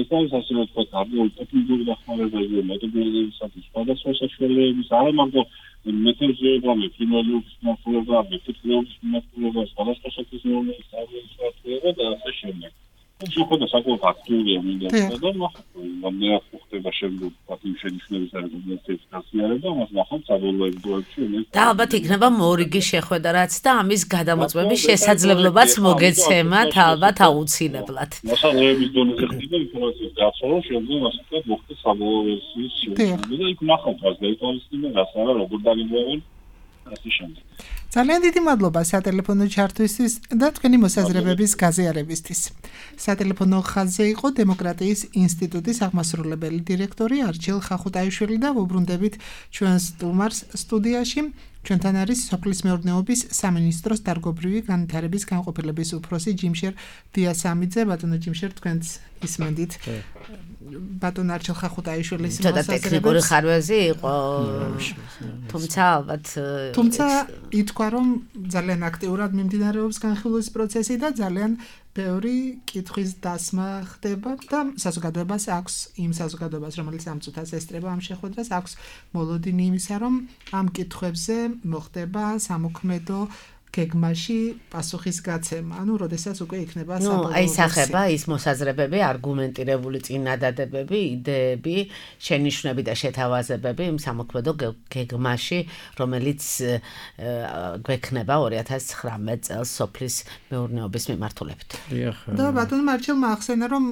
ეს არის ასე ვთქვათ გარკვეული ტექნიკური დახმარებები მეთოდოლოგიისათვის სხვადასხვა საშუალებების არა მარტო მეთოდოლოგიები, კინოლოგიის მართულობა, მეთოდოლოგიის მართულობა, სხვადასხვა სოფლის მეურნეობის წარმოება და ასე შემდეგ. შეხვედრა საკმაოდ აქტიურია მინდა და მე ხდება შემდგომ პატიმ შენიშვნების არგუმენტების გასიარება, მას ნახავთ საბოლოო ეპიზოდებში. და ალბათ იქნება მორიგი შეხვედრა რაც და ამის გადამოწმების შესაძლებლობაც მოგეცემათ ალბათ აუცილებლად. მოსახლეობის დონეზე ხდება ინფორმაციის გაცვლა, შემდგომ ასე ვთქვათ მოხდეს საბოლოო ვერსიის შეხვედრა და იქ ნახავთ რა გაითვალისწინა, რას არა, როგორ დაგიგვევენ ასე შემდეგ. ძალიან დიდი მადლობა სატელეფონო ჩართვისთვის და თქვენი მოსაზრებების გაზიარებისთვის. სატელეფონო ხაზზე იყო დემოკრატიის ინსტიტუტის აღმასრულებელი დირექტორი არჩილ ხახუტაიშვილი და ვუბრუნდებით ჩვენ სტუმარს სტუდიაში. ჩვენთან არის სოფლის მეურნეობის სამინისტროს დარგობრივი განვითარების განყოფილების უფროსი ჯიმშერ დიასამიძე. ბატონო ჯიმშერ, თქვენც ისმენდით ბატონ არჩილ ხახუტაიშვილის მოსაზრებებს. და ტექნიკური ხარვეზი იყო. თუმცა ითქვა რომ ძალიან აქტიურად მიმდინარეობს განხილვის პროცესი და ძალიან ბევრი კითხვის დასმა ხდება და საზოგადოებას აქვს იმ საზოგადოებას რომელიც ამ წუთას ესწრება ამ შეხვედრას აქვს მოლოდინი იმისა რომ ამ კითხვებზე მოხდება სამოქმედო გეგმაში პასუხის გაცემა, ანუ როდესაც უკვე იქნება საბოლოო აისახება ის მოსაზრებები, არგუმენტირებული წინადადებები, იდეები, შენიშვნები და შეთავაზებები იმ სამოქმედო გეგმაში, რომელიც გვექნება 2019 წელს სოფლის მეურნეობის მიმართულებით. და ბატონო მარჩელმა ახსენა, რომ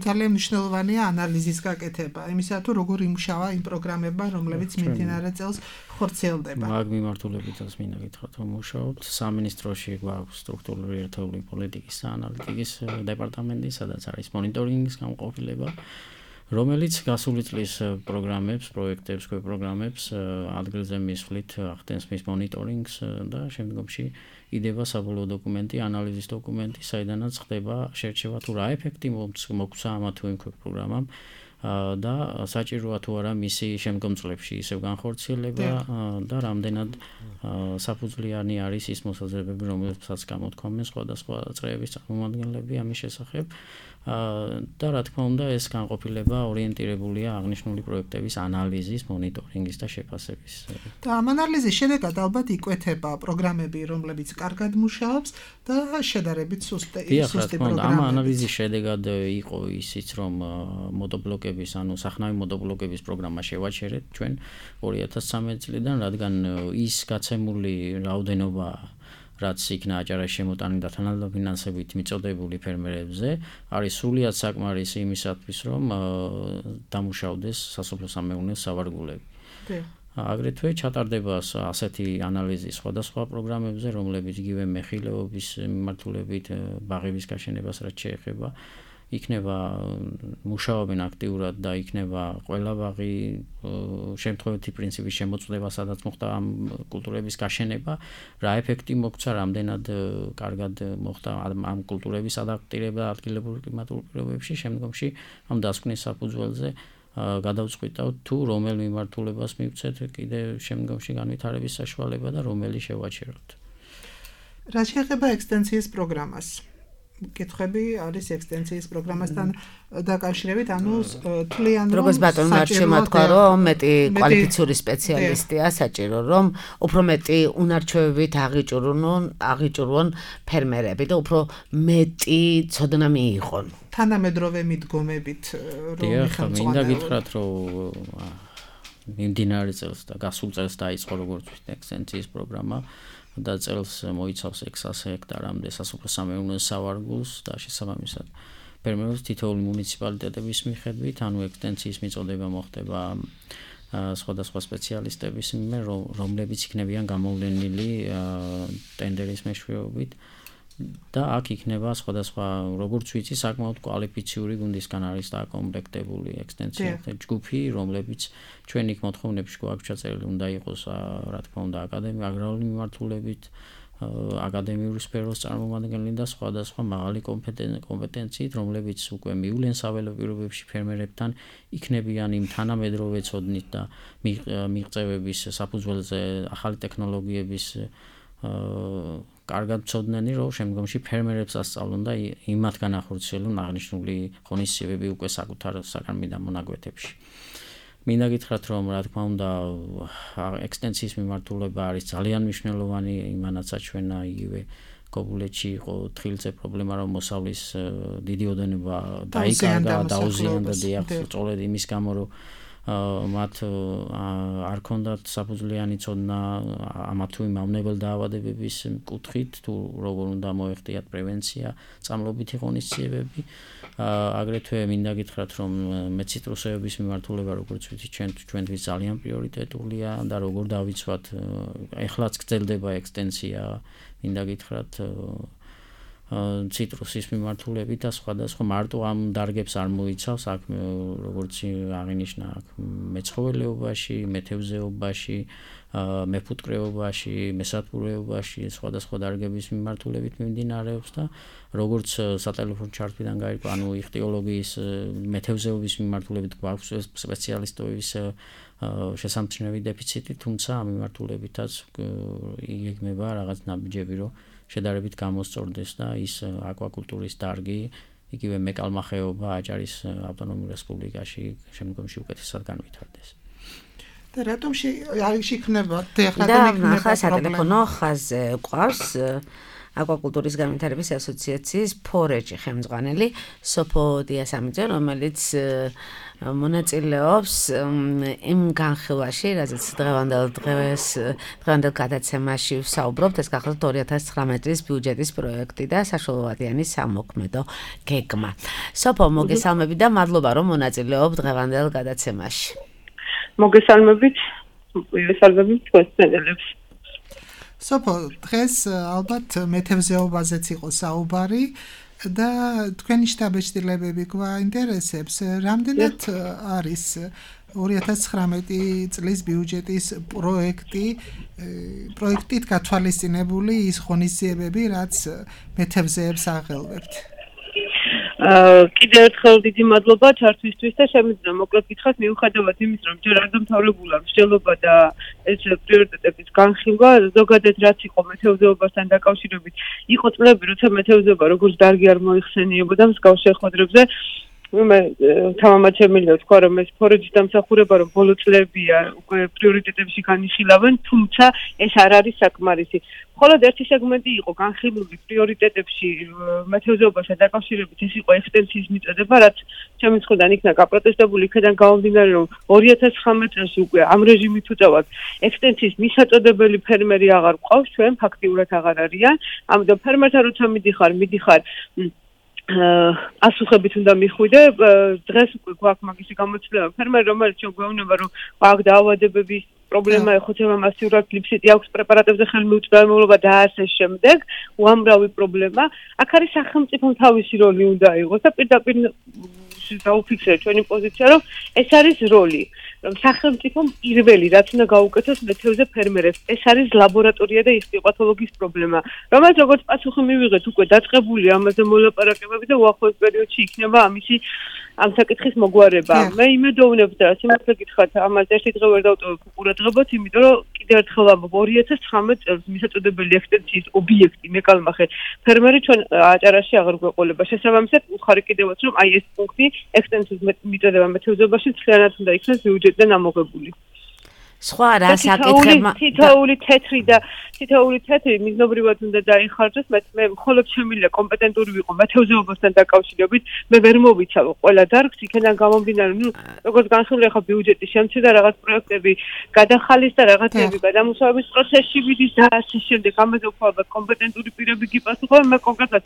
ძალიან მნიშვნელოვანია ანალიზის გაკეთება, იმისა თუ როგორ იმუშავა იმ პროგრამებმა, რომლებიც მიმდინარე წელს ხორციელდება. მაგ მიმართულებითაც მინდა გითხრათ, რომ მუშაობთ სამინისტროში გვაქვს სტრუქტურული ერთეული პოლიტიკის და ანალიტიკის დეპარტამენტი, სადაც არის მონიტორინგის განყოფილება, რომელიც გასული წლის პროგრამებს, პროექტებს, პროგრამებს ადგილზე მისვლით ახდენს მის მონიტორინგს და შემდგომში იდება საბოლოო დოკუმენტი, ანალიზის დოკუმენტი, საიდანაც ხდება შერჩევა თუ რა ეფექტი მოგვცა ამა თუ იმ პროგრამამ და საჭიროა თუ არა მისი შემდგომ წლებში ისევ განხორციელება და რამდენად საფუძვლიანი არის ის მოსაზრებები, რომელსაც გამოთქვამენ სხვადასხვა წრეების წარმომადგენლები ამის შესახებ. და რა თქმა უნდა ეს განყოფილება ორიენტირებულია აღნიშნული პროექტების ანალიზის, მონიტორინგის და შეფასების. და ამ ანალიზის შედეგად ალბათ იკვეთება პროგრამები, რომლებიც კარგად მუშაობს და შედარებით სუსტი პროგრამები. ამ ანალიზის შედეგად იყო ისიც, რომ მოდობლოკების, ანუ სახნავი მოდობლოკების პროგრამა შევაჩერეთ ჩვენ 2013 წლიდან, რადგან ის გაცემული რაოდენობა რაც იქნა აჭარაში შემოტანილი და თანადამფინანსებით მიწოდებული ფერმერებზე, არის სრულიად საკმარისი იმისათვის, რომ დამუშავდეს სასოფლო-სამეურნეო სავარგულები. აგრეთვე ჩატარდება ასეთი ანალიზი სხვადასხვა პროგრამებზე, რომლებიც იგივე მეხილეობის მიმართულებით ბაღების გაშენებას რაც შეეხება, იქნება მუშაობენ აქტიურად და იქნება ყველა ბაღი შემთხვევითი პრინციპის შემოწმება, სადაც მოხდა ამ კულტურების გაშენება, რა ეფექტი მოგვცა, რამდენად კარგად მოხდა ამ კულტურების ადაპტირება ადგილობრივ კლიმატურ პირობებში, შემდგომში ამ დასკვნის საფუძველზე გადავწყვიტავთ თუ რომელ მიმართულებას მივცეთ კიდე შემდგომში განვითარების საშუალება და რომელი შევაჩეროთ. რა შეეხება ექსტენსიის პროგრამას? კითხები არის ექსტენსიის პროგრამასთან დაკავშირებით, ანუ თვლიან რომ როგორც ბატონმა შემოთქვა, რომ მეტი კვალიფიციური სპეციალისტია საჭირო, რომ უფრო მეტი უნარჩვევებით აღიჭურონ ფერმერები და უფრო მეტი ცოდნა მიიღონ. თანამედროვე მიდგომებით რომ მინდა გითხრათ, რომ მიმდინარე წელს და გასულ წელს დაიწყო როგორც ექსტენსიის პროგრამა და წელს მოიცავს 600 ჰექტარამდე სასოფლო-სამეურნეო სავარგულს და შესაბამისად ფერმერებს თითოეული მუნიციპალიტეტების მიხედვით, ანუ ექსტენსიის მიწოდება მოხდება სხვადასხვა სპეციალისტების მიერ, რომლებიც იქნებიან გამოვლენილი ტენდერის მეშვეობით და აქ იქნება სხვადასხვა, როგორც ვიცი, საკმაოდ კვალიფიციური გუნდისგან არის დაკომპლექტებული ექსტენსიის ჯგუფი, რომლებიც ჩვენ იქ მოთხოვნებში გვაქვს ჩაწერილი, უნდა იყოს, რა თქმა უნდა, აგრარული მიმართულებით, აკადემიური სფეროს წარმომადგენელი და სხვადასხვა მაღალი კომპეტენციით, რომლებიც უკვე მივლენ საველო პირობებში ფერმერებთან, იქნებიან იმ თანამედროვე ცოდნით და მიღწევების საფუძველზე ახალი ტექნოლოგიების კარგად ცოდნენი, რომ შემდგომში ფერმერებს ასწავლონ და იმათგან ახორციელონ აღნიშნული ღონისძიებები უკვე საკუთარ საგანმანათლებლო მონაკვეთებში. მინდა გითხრათ, რომ რა თქმა უნდა ექსტენსიის მიმართულება არის ძალიან მნიშვნელოვანი, იმანაც აჩვენა იგივე გოგულეთში იყო თხილზე პრობლემა, რომ მოსავლის დიდი ოდენობა დაიკარგა, დაუზიანდა დიახ, სწორედ იმის გამო, რომ მათ არ ქონდათ საფუძვლიანი ცოდნა ამა თუ იმ მავნებელ დაავადებების კუთხით, თუ როგორ უნდა მოეხდიათ პრევენცია, წამლობითი ღონისძიებები. აგრეთვე მინდა გითხრათ, რომ მეციტრუსეების მიმართულება, როგორც ვიცით, ჩვენთვის ძალიან პრიორიტეტულია და როგორ დავიცვათ, ეხლაც გრძელდება ექსტენსია, მინდა გითხრათ ციტრუსის მიმართულებით და სხვადასხვა მარტო ამ დარგებს არ მოიცავს, აქ როგორც აღინიშნა, აქ მეცხოველეობაში, მეთევზეობაში, მეფუტკრეობაში, მესათბურეობაში, სხვადასხვა დარგების მიმართულებით მიმდინარეობს და როგორც სატელეფონო ჩართვიდან გაირკვა, ანუ იხტიოლოგიის, მეთევზეობის მიმართულებით გვაქვს სპეციალისტების შესამჩნევი დეფიციტი, თუმცა ამ მიმართულებითაც იგეგმება რაღაც ნაბიჯები, რომ შედარებით გამოსწორდეს და ის აკვაკულტურის დარგი, იგივე მეკალმახეობა აჭარის ავტონომიურ რესპუბლიკაში შემდგომში უკეთესად განვითარდეს. და რატომ არის იქნება სატელეფონო ხაზზე ყავს აკვაკულტურის განვითარების ასოციაციის ფორეჯი ხელმძღვანელი სოფო დიასამიძე, რომელიც მონაწილეობს იმ განხილვაში, რაზეც დღევანდელ გადაცემაში ვსაუბრობთ, ეს გახლავთ 2019 წლის ბიუჯეტის პროექტი და საშუალოვადიანი სამოქმედო გეგმა. სოფო, მოგესალმებით და მადლობა, რომ მონაწილეობთ დღევანდელ გადაცემაში. მოგესალმებით თქვენს წელებს. სოფო, დღეს ალბათ მეთევზეობაზეც იყო საუბარი და თქვენი შტაბეჭდილებები გვაინტერესებს, რამდენად არის 2019 წლის ბიუჯეტის პროექტით გათვალისწინებული ის ღონისძიებები, რაც მეთევზეებს აღელვებთ? კიდევ ერთხელ დიდი მადლობა ჩართვისთვის და შემიძლია მოკლედ გითხრათ მიუხედავად იმის რომ ჯერ არ დამთავრებულა მსჯელობა და ეს პრიორიტეტების განხილვა ზოგადად რაც იყო მეთევზეობასთან დაკავშირებით იყო წლები როცა მეთევზეობა როგორც დარგი არ მოიხსენიებოდა მსგავს შეხვედრებზე მე თამამად შემიძლია ვთქვა რომ ეს ფორეჯის დამსახურება რომ ბოლო წლებია უკვე პრიორიტეტებში განიხილავენ თუმცა ეს არ არის საკმარისი მხოლოდ ერთი სეგმენტი იყო განხილული პრიორიტეტებში მეთევზეობასთან დაკავშირებით ეს იყო ექსტენსიის მიწოდება რაც ჩემი მხრიდან იქნა გაპროტესტებული იქიდან გამომდინარე რომ 2019 წელს უკვე ამ რეჟიმით უწევად ექსტენსიის მისაწოდებელი ფერმერი აღარ ყავს ჩვენ ფაქტიურად აღარ არიან ამიტომ ფერმერთან როცა მიდიხარ ასუხებით უნდა მიხვიდე დღეს უკვე გვაქვს მაგისი გამოცდილება ფერმერი რომელიც შეგვეუბნება რომ აქვს დაავადებების პრობლემა ეხოთება მასიურად გლიფსიტი აქვს პრეპარატებზე ხელმიუწვდომელობა და ასე შემდეგ უამრავი პრობლემა აქ არის სახელმწიფომ თავისი როლი უნდა იყოს და პირდაპირ დაუფიქსირეთ ჩვენი პოზიცია რომ ეს არის როლი რომ სახელმწიფომ პირველი რაც უნდა გაუკეთოს მეთევზე ფერმერებს ეს არის ლაბორატორია და ისტიოპათოლოგიის პრობლემა რომელიც როგორც პასუხი მივიღეთ უკვე დაწყებული ამაზე მოლაპარაკებები და უახლოეს პერიოდში იქნება ამისი ამ საკითხის მოგვარება მე იმედოვნებ და სიმართლე გითხრათ ამაზე ერთი დღე ვერ დავტოვებ ყურადღებას იმიტომ რომ კიდევ ერთხელ ამბობ 2019 წელს მისაწოდებელი ექსტენსიის ობიექტი მეკალმახე ფერმერი ჩვენ აჭარაში აღარ გვეყოლება შესაბამისად უხარი კიდევაც რომ აი ეს პუნქტი ექსტენსიის მიწოდება მეთევზეობაში მთლიანად უნდა იქნას ბიუჯეტიდან ამოღებული სხვა რა საკითხებმა თითოეული თეთრი მიზნობრივად უნდა დაიხარჯოს მე მხოლოდ შემიძლია კომპეტენტური ვიყო მეთევზეობასთან დაკავშირებით მე ვერ მოვიცავ ყველა დარგს იქიდან გამომდინარე როგორც განხილული ახლა ბიუჯეტის შემცირდა რაღაც პროექტები გადახალის და რაღაცები გადამუშავების პროცესში მიდის და ასე შემდეგ ამაზე უფრო კომპეტენტური პირები გიპასუხებენ მე კონკრეტულად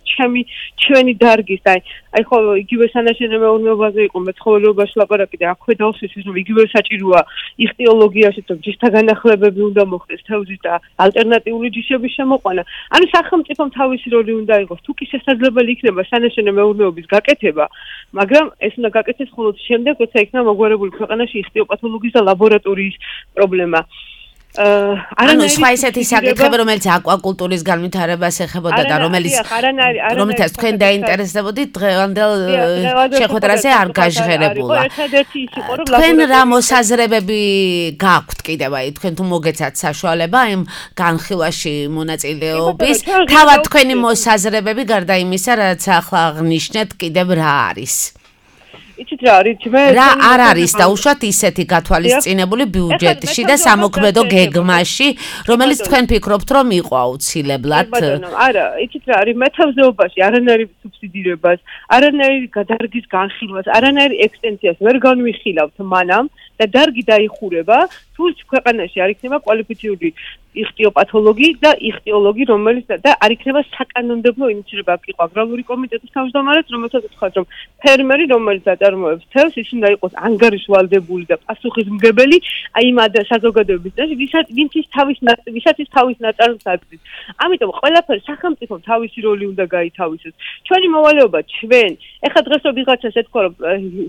ჩვენი დარგის აი ხო იგივე სანაშენე მეურნეობაზე იყო მეცხოველეობაში ლაპარაკი და აქვე დავსვით რომ იგივე საჭიროა იხტიოლოგიაში ჯიშთა განახლებები უნდა მოხდეს თევზის და ალტერნატიული ჯიშების შემოყვანა. ანუ სახელმწიფომ თავისი როლი უნდა იყოს. თუ კი შესაძლებელი იქნება სანაშენე მეურნეობის გაკეთება, მაგრამ ეს უნდა გაკეთდეს მხოლოდ შემდეგ, როცა იქნება მოგვარებული ქვეყანაში ისტიოპათოლოგიის და ლაბორატორიის პრობლემა. ანუ სხვა ისეთი საკითხები, რომელიც აკვაკულტურის განვითარებას ეხებოდა და რომელთაც თქვენ დაინტერესდებოდით დღევანდელ შეხვედრაზე არ გაჟღერებულა. თქვენ რა მოსაზრებები გაქვთ კიდევ აი თქვენ თუ მოგეცათ საშუალება იმ განხილვაში მონაწილეობის, თავად თქვენი მოსაზრებები გარდა იმისა, რაც ახლა აღნიშნეთ, კიდევ რა არის? იცით რა არის რა არ არის და უშუალოდ ისეთი გათვალისწინებული ბიუჯეტში და სამოქმედო გეგმაში, რომელიც თქვენ ფიქრობთ, რომ იყო აუცილებლად? არა, იცით რა არის მეთევზეობაში არანაირი სუბსიდირებას, არანაირი დარგის განხილვას, არანაირი ექსტენსიას ვერ განვიხილავთ მანამ და დარგი დაიხურება, თუ ქვეყანაში არ იქნება კვალიფიციური იხტიოპათოლოგი და იხტიოლოგი, რომელიც და არ იქნება საკანონმდებლო ინიციატივა. იყო აგრარული კომიტეტის თავმჯდომარეს, რომელსაც უთქვათ, რომ ფერმერი, რომელიც აწარმოებს თევზს, ის უნდა იყოს ანგარიშვალდებული და პასუხისმგებელი აი იმ საზოგადოების წინაშე, ვისაც ის თავის ნაწარმს აწვის. ამიტომ ყველაფერი სახელმწიფომ თავისი როლი უნდა გაითავისოს. ჩვენი მოვალეობა ჩვენ, ეხლა დღეს ვიღაცას ეთქვა, რომ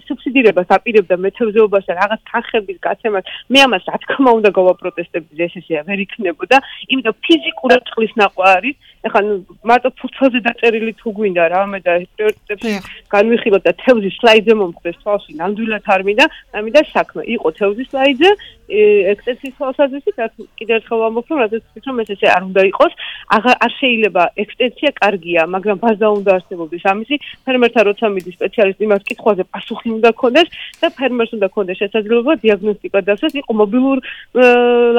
სუბსიდირებას აპირებდა მეთევზეობას და რაღაც თანხების გაცემას, მე ამას რა თქმა უნდა გავაპროტესტებდი, ესეა ვერ იქნებოდა, იმიტომ ფიზიკურად წყლის ნახვა არის. ეხლა მარტო ფურცელზე დაწერილი თუ გვინდა რა, მე და პრიორიტეტებში განვიხილოთ და თევზის სლაიდზე მომხდეს თვალში, ნამდვილად არ მინდა, ამიტომ საქმე იყო თევზის სლაიდზე, ექსტენსიის თვალსაზრისით, კიდევ ერთხელ ვამბობ, რომ რადგან ვფიქრობ, ეს არ უნდა იყოს, არ შეიძლება ექსტენსია კარგია, მაგრამ ბაზა უნდა არსებობდეს ამისი, ფერმერთან როცა მიდის სპეციალისტი, იმას კითხვაზე პასუხი უნდა ქონდეს და ფერმერს უნდა ქონდეს შესაძლებლობა დიაგნოსტიკა დასვას, იყო მობილურ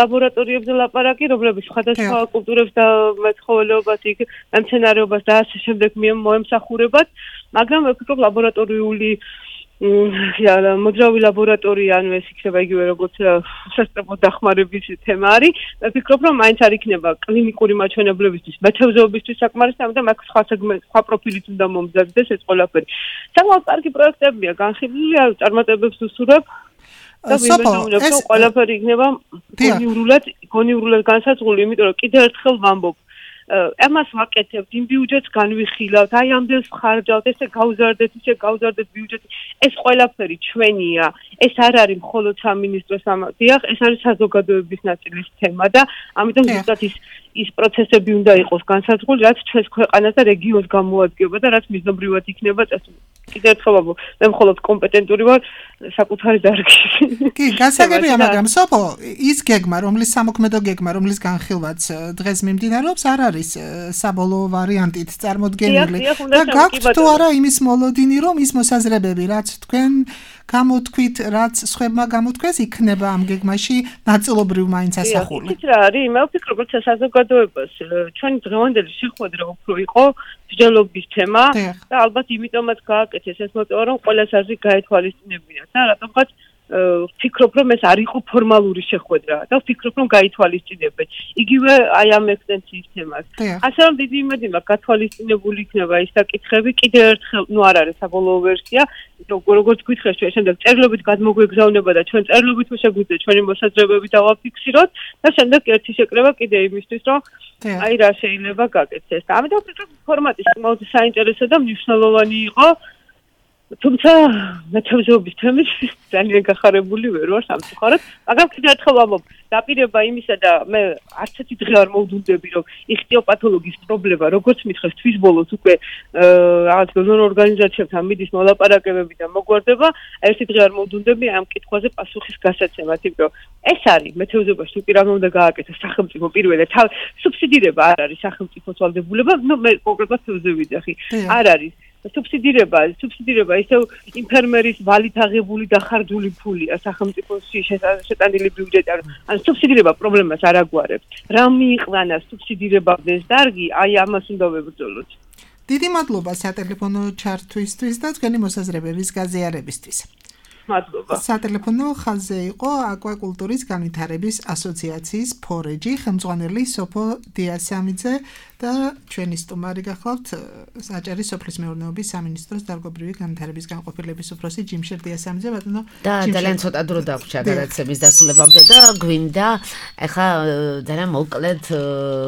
ლაბორატორიებზე ლაპარაკი, რომლებიც სხვადასხვა კულტურებს და მეცხოველეობას მემცენარეობას და ასე შემდეგ მოემსახურებათ, მაგრამ ვფიქრობ ლაბორატორიული მოძრავი ლაბორატორია, ანუ ეს იქნება იგივე როგორც სასწავლო დახმარების თემა არის. ვფიქრობ, რომ მაინც არ იქნება კლინიკური მაჩვენებლებისთვის, მეთევზეობისთვის საკმარისი, ამიტომ აქ სხვა პროფილით უნდა მომზადდეს ეს ყველაფერი. საკმაოდ კარგი პროექტებია განხილული, წარმატებებს უსურვებ. და ვიმეორებ, რომ ყველაფერი იქნება გონივრულად განსაზღვრული, იმიტომ რომ კიდევ ერთხელ ვამბობ, ამას ვაკეთებთ, იმ ბიუჯეტს განვიხილავთ, აი ამდენს ხარჯავთ, ესე გავზარდეთ ბიუჯეტი. ეს ყველაფერი ჩვენია. ეს არ არის მხოლოდ სამინისტროს დიახ, ეს არის საზოგადოების ნაწილის თემა და ამიტომ ზუსტად ის პროცესები უნდა იყოს განსაზღვრული, რაც ჩვენს ქვეყანას და რეგიონს გამოადგენება და რაც მიზნობრივად იქნება წესული. კიდევ ერთხელ მე მხოლოდ კომპეტენტური ვარ საკუთარი დარგში. კი, გასაგებია, მაგრამ სოფო, ის გეგმა, რომლის სამოქმედო გეგმა, რომლის განხილვაც დღეს მიმდინარეობს, არ არის საბოლოო ვარიანტით წარმოდგენილი. და გაქვთ თუ არა იმის მოლოდინი, რომ ის მოსაზრებები, რაც თქვენ გამოთქვით, რაც სხვებმა გამოთქვეს, იქნება ამ გეგმაში ნაწილობრივ მაინც ასახული. იცით რა არის? მე ვფიქრობ, რომ საზოგადოებას ჩვენი დღევანდელი შეხვედრა უფრო იყო მსჯელობის თემა და ალბათ იმიტომაც გააკეთეს ეს მოწვევა, რომ ყველას აზრი გაეთვალისწინებინათ და რატომღაც ვფიქრობ, რომ ეს არ იყო ფორმალური შეხვედრა და ვფიქრობ, რომ გაითვალისწინებენ. იგივე აი ამ ექსტენსიის თემას. ასე რომ დიდი იმედი მაქვს, გათვალისწინებული იქნება ის საკითხები. კიდევ ერთხელ, არ არის საბოლოო ვერსია, როგორც გითხრეს, ჩვენ შემდეგ წერილობით გადმოგვეგზავნება და ჩვენ წერილობით შეგვიძლია ჩვენი მოსაზრებები დავაფიქსიროთ და შემდეგ ერთი შეკრება კიდე იმისთვის, რომ აი რა შეიძლება გაკეთდეს. ამიტომ ვფიქრობ, ფორმატი საკმაოდ საინტერესო და მნიშვნელოვანი იყო. თუმცა მეთევზეობის თემით ძალიან გახარებული ვერ ვარ სამწუხაროდ, მაგრამ კიდევ ერთხელ ვამბობ, დაპირება იმისა და მე არც ერთი დღე არ მოვდუნდები, რომ იხტიოპათოლოგიის პრობლემა, როგორც მითხრეს, თვის ბოლოს უკვე რაღაც დონორ ორგანიზაციებთან მიდის მოლაპარაკებები და მოგვარდება, ერთი დღე არ მოვდუნდები ამ კითხვაზე პასუხის გასაცემად, იმიტომ რომ ეს არის მეთევზეობაში თუ კი რა უნდა გააკეთოს სახელმწიფო პირველად, სუბსიდირება არ არის სახელმწიფოს ვალდებულება, მე კონკრეტულად თევზევიდახი, არ არის სუბსიდირება ისევ იმ ფერმერის ვალით აღებული დახარჯული ფულია სახელმწიფოში შეტანილი ბიუჯეტი. ან სუბსიდირება პრობლემას არ აგვარებს. რა მიიყვანა სუბსიდირებადეს დარგი, აი ამას უნდა ვებრძოლოთ. დიდი მადლობა სატელეფონო ჩართვისთვის და თქვენი მოსაზრებების გაზიარებისთვის. მადლობა. სატელეფონო ხაზზე იყო აკვაკულტურის განვითარების ასოციაციის ფორეჯი ხელმძღვანელი სოფო დიასამიძე და ჩვენი სტუმარი გახლავთ საჭირო სოფლის მეურნეობის სამინისტროს დარგობრივი განვითარების განყოფილების უფროსი ჯიმშერ დიასამიძე. ბატონო და ძალიან ცოტა დრო დაგვჭირდა გადაცემის დასრულებამდე და გვინდა ახლა ძალიან მოკლედ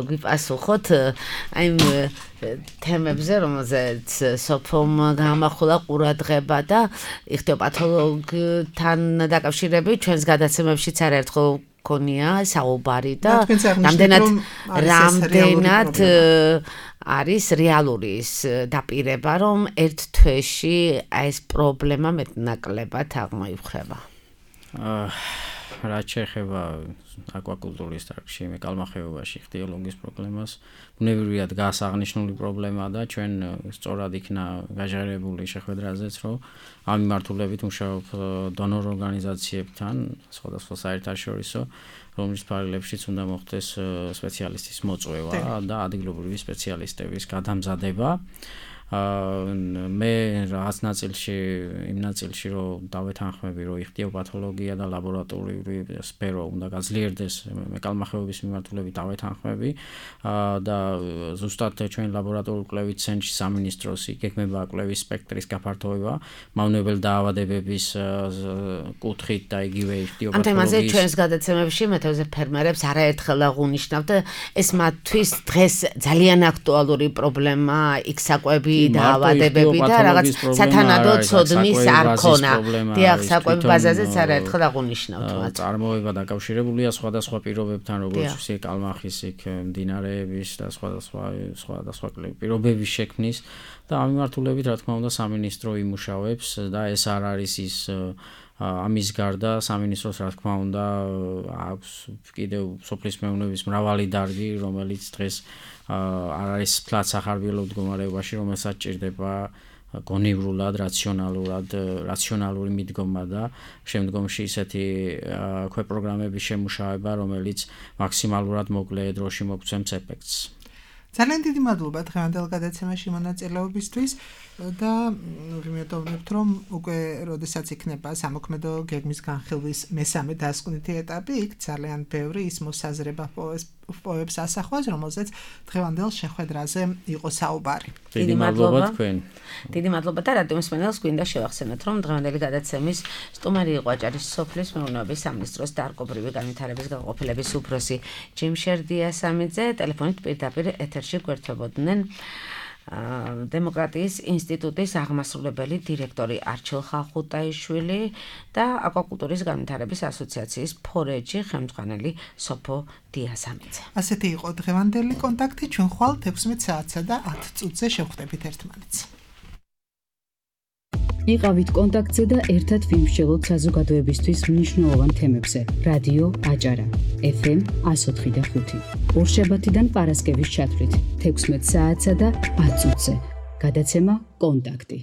გვიპასუხოთ აი თემებზე, რომელზეც სოფომ გამახვილა ყურადღება და იხტიოპათოლოგთან დაკავშირებით ჩვენს გადაცემებშიც არაერთხელ გქონია საუბარი და რამდენად არის რეალური ის დაპირება, რომ ერთ თვეში ეს პრობლემა მეტნაკლებად აღმოიფხება. რაც შეეხება აკვაკულტურის დარგში, მეკალმახეობაში იხტიოლოგიის პრობლემას, ბუნებრივად გასაღნიშნული პრობლემაა და ჩვენ სწორად იქნა გაჟღერებული შეხვედრაზეც, რომ ამ მიმართულებით მუშაობ დონორ ორგანიზაციებთან, სხვადასხვა საერთაშორისო, რომლის ფარგლებშიც უნდა მოხდეს სპეციალისტის მოწვევა და ადგილობრივი სპეციალისტების გადამზადება. მე რაღაც ნაწილში, იმ ნაწილში, რომ დავეთანხმები, რომ იხტიოპათოლოგია და ლაბორატორიული სფერო უნდა გაძლიერდეს მეკალმახეობის მიმართულებით დავეთანხმები და ზუსტად ჩვენ ლაბორატორიული კვლევის ცენტრში სამინისტროს იგეგმება კვლევის სპექტრის გაფართოება, მავნებელ დაავადებების კუთხით და იგივე იხტიოპათოლოგიის. ამ თემაზე ჩვენს გადაცემებში მეთევზე ფერმერებს არაერთხელ აღვნიშნავთ და ეს მათთვის დღეს ძალიან აქტუალური პრობლემაა, იქ საკვები დაავადებები და რაღაც სათანადო ცოდნის არ ქონა. დიახ, საკვები ბაზაზეც არაერთხელ აღვნიშნავთ მათ. წარმოება დაკავშირებულია სხვადასხვა პირობებთან, როგორც ისე კალმახის, იქ მდინარეების და სხვადასხვა პირობების შექმნის და ამ მიმართულებით, რა თქმა უნდა, სამინისტრო იმუშავებს და ეს არ არის ის ამის გარდა სამინისტროს, რა თქმა უნდა, აქვს კიდევ სოფლის მეურნეობის მრავალი დარგი, რომელიც დღეს არ არის ფლაც სახარბიელო მდგომარეობაში, რომელსაც ჭირდება გონივრულად, რაციონალური მიდგომა და შემდგომში ისეთი ქვეპროგრამების შემუშავება, რომელიც მაქსიმალურად მოკლე დროში მოგცემს ეფექტს. ძალიან დიდი მადლობა დღევანდელ გადაცემაში მონაწილეობისთვის და ვიმედოვნებთ, რომ უკვე როდესაც იქნება სამოქმედო გეგმის განხილვის მესამე დასკვნითი ეტაპი, იქ ძალიან ბევრი ის მოსაზრება პოებს ასახვას, რომელზეც დღევანდელ შეხვედრაზე იყო საუბარი. დიდი მადლობა თქვენ. დიდი მადლობა და რადიო მსმენელს გვინდა შევახსენოთ, რომ დღევანდელი გადაცემის სტუმარი იყო აჭარის სოფლის მეურნეობის სამინისტროს დარგობრივი განვითარების განყოფილების უფროსი ჯიმშერ დიასამიძე. ტელეფონით პირდაპირ ეთერში გვერდებოდნენ დემოკრატიის ინსტიტუტის აღმასრულებელი დირექტორი არჩილ ხალხუტაიშვილი და აკვაკულტურის განვითარების ასოციაციის ფორეჯი ხელმძღვანელი სოფო დიასამიძე. ასეთი იყო დღევანდელი კონტაქტი, ჩვენ ხვალ 16 საათსა და 10 წუთზე შევხვდებით ერთმანეთს. იყავით კონტაქტზე და ერთად ვიმსჯელოთ საზოგადოებისთვის მნიშვნელოვან თემებზე. რადიო აჭარა, FM 104.5. ორშაბათიდან პარასკევის ჩათვლით 16 საათსა და 10 წუთზე. გადაცემა კონტაქტი.